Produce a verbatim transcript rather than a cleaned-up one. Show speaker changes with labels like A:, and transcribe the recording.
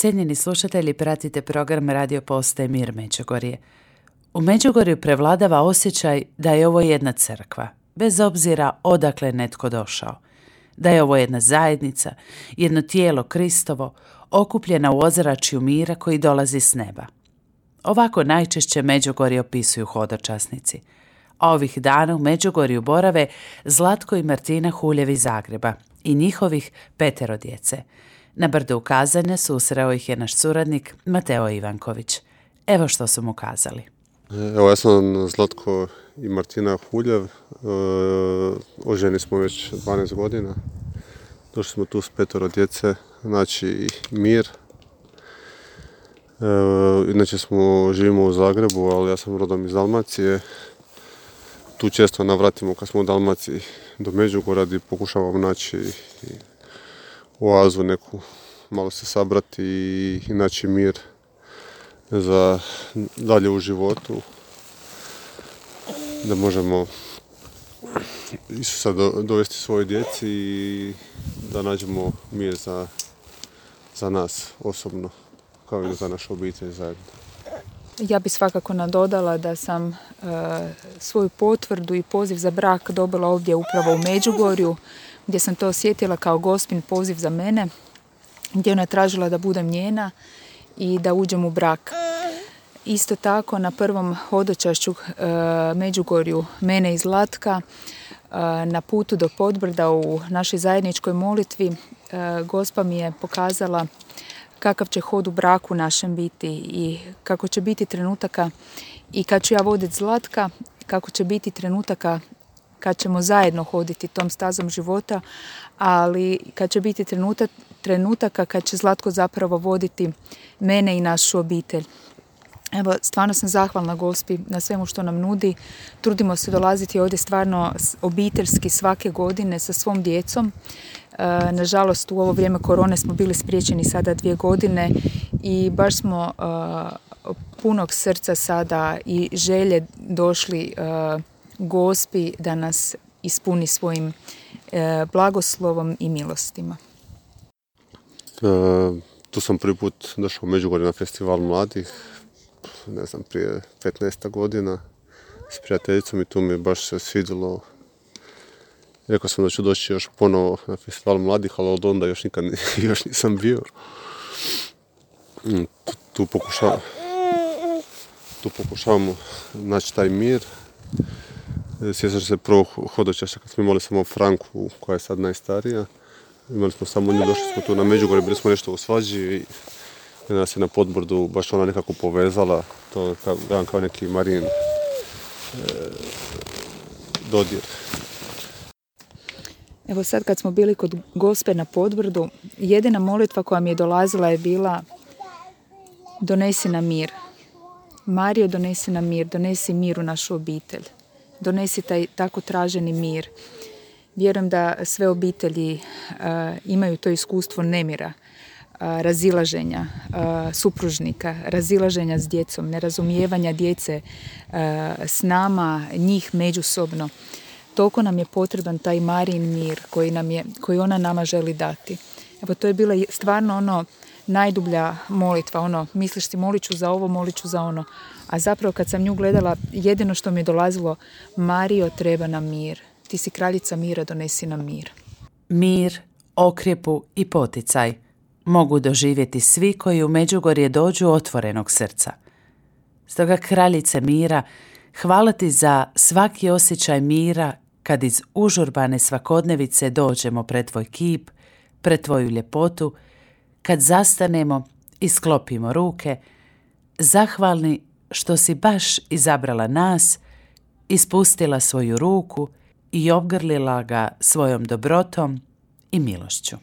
A: Cijenjeni slušatelji, pratite program Radio Postaje Mir Međugorje. U Međugorju prevladava osjećaj da je ovo jedna crkva, bez obzira odakle je netko došao. Da je ovo jedna zajednica, jedno tijelo Kristovo, okupljena u ozračju mira koji dolazi s neba. Ovako najčešće Međugorje opisuju hodočasnici. A ovih dana u Međugorju borave Zlatko i Martina Huljev iz Zagreba i njihovih petero djece. Na brdu ukazanja susreo ih je naš suradnik Mateo Ivanković. Evo što su mu kazali.
B: Evo, ja sam Zlatko i Martina Huljev. E, oženi smo već dvanaest godina. Došli smo tu s petero djece, znači mir. E, inače smo, živimo u Zagrebu, ali ja sam rodom iz Dalmacije. Tu često navratimo kad smo u Dalmaciji do Međugorja i pokušavamo naći oazu neku, malo se sabrati i, i naći mir za dalje u životu, da možemo Isusa do, dovesti svojoj djeci i da nađemo mir za, za nas osobno, kao i za našu obitelj zajedno.
C: Ja bi svakako nadodala da sam e, svoju potvrdu i poziv za brak dobila ovdje upravo u Međugorju, gdje sam to osjetila kao Gospin poziv za mene, gdje ona tražila da budem njena i da uđem u brak. Isto tako na prvom hodočašću e, Međugorju mene i Zlatka, e, na putu do Podbrda u našoj zajedničkoj molitvi, e, Gospa mi je pokazala kakav će hod u braku našem biti i kako će biti trenutaka i kad ću ja voditi Zlatka, kako će biti trenutaka kad ćemo zajedno hoditi tom stazom života, ali kad će biti trenutak, trenutaka kad će Zlatko zapravo voditi mene i našu obitelj. Evo, stvarno sam zahvalna Gospi na svemu što nam nudi. Trudimo se dolaziti ovdje stvarno obiteljski svake godine sa svom djecom. E, nažalost, u ovo vrijeme korone smo bili spriječeni sada dvije godine i baš smo e, punog srca sada i želje došli e, Gospi da nas ispuni svojim e, blagoslovom i milostima.
B: E, tu sam prvi put došao u Međugorje na festival mladih, ne znam, prije petnaest godina s prijateljicom i tu mi baš se svidjelo. Rekao sam da ću doći još ponovo na festival mladih, ali od onda još nikad još nisam bio. Tu, tu, pokušavam, tu pokušavamo naći taj mir. Sjećam se prvog hodočašća kad smo imali samo Franku, koja je sad najstarija. Imali smo samo nju, došli smo tu na Međugorje, bili smo nešto u svađi i nas je na Podbrdu baš ona nekako povezala, to kao, kao neki Marin e, dodir.
C: Evo sad kad smo bili kod Gospe na Podbrdu, jedina molitva koja mi je dolazila je bila: donesi nam mir. Marijo, donesi nam mir, donesi mir u našu obitelj. Donesi taj tako traženi mir. Vjerujem da sve obitelji uh, imaju to iskustvo nemira, uh, razilaženja uh, supružnika, razilaženja s djecom, nerazumijevanja djece uh, s nama, njih međusobno. Toliko nam je potreban taj Marijin mir koji, nam je, koji ona nama želi dati. Evo, to je bila stvarno ono najdublja molitva, ono, misliš ti molit ću za ovo, molit ću za ono. A zapravo kad sam nju gledala, jedino što mi je dolazilo: Marijo, treba nam mir. Ti si kraljica mira, donesi nam mir.
A: Mir, okrjepu i poticaj mogu doživjeti svi koji u Međugorje dođu otvorenog srca. Stoga, kraljice mira, hvala ti za svaki osjećaj mira kad iz užurbane svakodnevice dođemo pred tvoj kip, pred tvoju ljepotu, kad zastanemo i sklopimo ruke, zahvalni što si baš izabrala nas, ispustila svoju ruku i obgrlila ga svojom dobrotom i milošću.